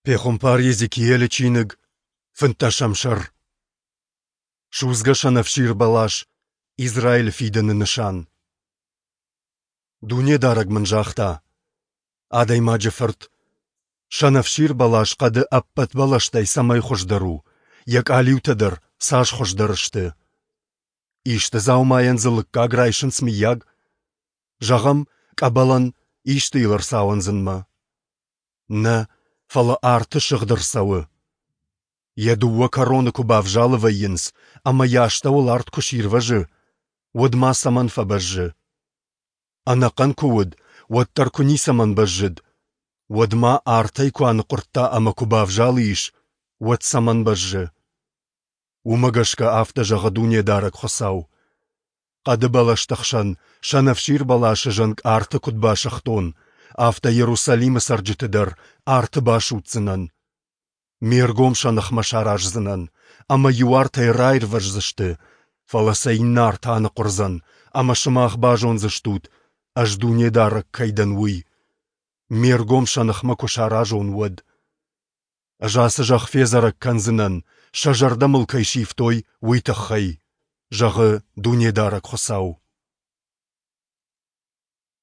Пехуымпар Йезекиелы чиныг, фынддӕсӕм сӕр. Судзгӕ сӕнӕфсир бӕлас, Израилы фидӕны нысан. Дунедарӕг мын загъта: Адӕймаджы фырт, сӕнӕфсир бӕлас хъӕды ӕппӕт бӕлӕстӕй цӕмӕй хуыздӕр у, йӕ къалиутӕ дӕр цас хуыздӕр сты. Исты дзаумайӕн дзы лыггаг райсынц, мыййаг? Зӕгъӕм, къӕбӕлӕн, исты йыл ӕрцауындзынмӕ. Нӕ, фӕлӕ арты сыгъд ӕрцӕуы. Йӕ дыууӕ кӕроны куы бавзалы вӕййынц ӕмӕ йӕ астӕуыл арт куы сирвӕзы, уӕд ма цӕмӕн фӕбӕззы? Ӕнӕхъӕн куы уыд, уӕддӕр куы ницӕмӕн бӕззыд, уӕд ма артӕй куы аныхъуырдта ӕмӕ куы бавзалы ис, уӕд цӕмӕн бӕззы? Уымӕ гӕсгӕ афтӕ зӕгъы Дунедарӕг Хуыцау: Хъӕды бӕлӕсты хсӕн сӕнӕфсир бӕласы зӕнг арты куыд басыгътон, афтӕ Иерусалимы цӕрджыты дӕр арты басудздзынӕн. Ме ргом сӕ ныхмӕ сараздзынӕн, ӕмӕ иу артӕй раирвӕздзысты, фӕлӕ сӕ иннӕ арт аныхъуырдзӕн, ӕмӕ сымах базондзыстут, ӕз Дунедарӕг кӕй дӕн, уый, ме ргом сӕ ныхмӕ куы саразон, уӕд. Ӕз ацы зӕхх федзӕрӕг кӕндзынӕн, сӕ зӕрдӕ мыл кӕй сивтой, уый тыххӕй, зӕгъы Дунедарӕг Хуыцау.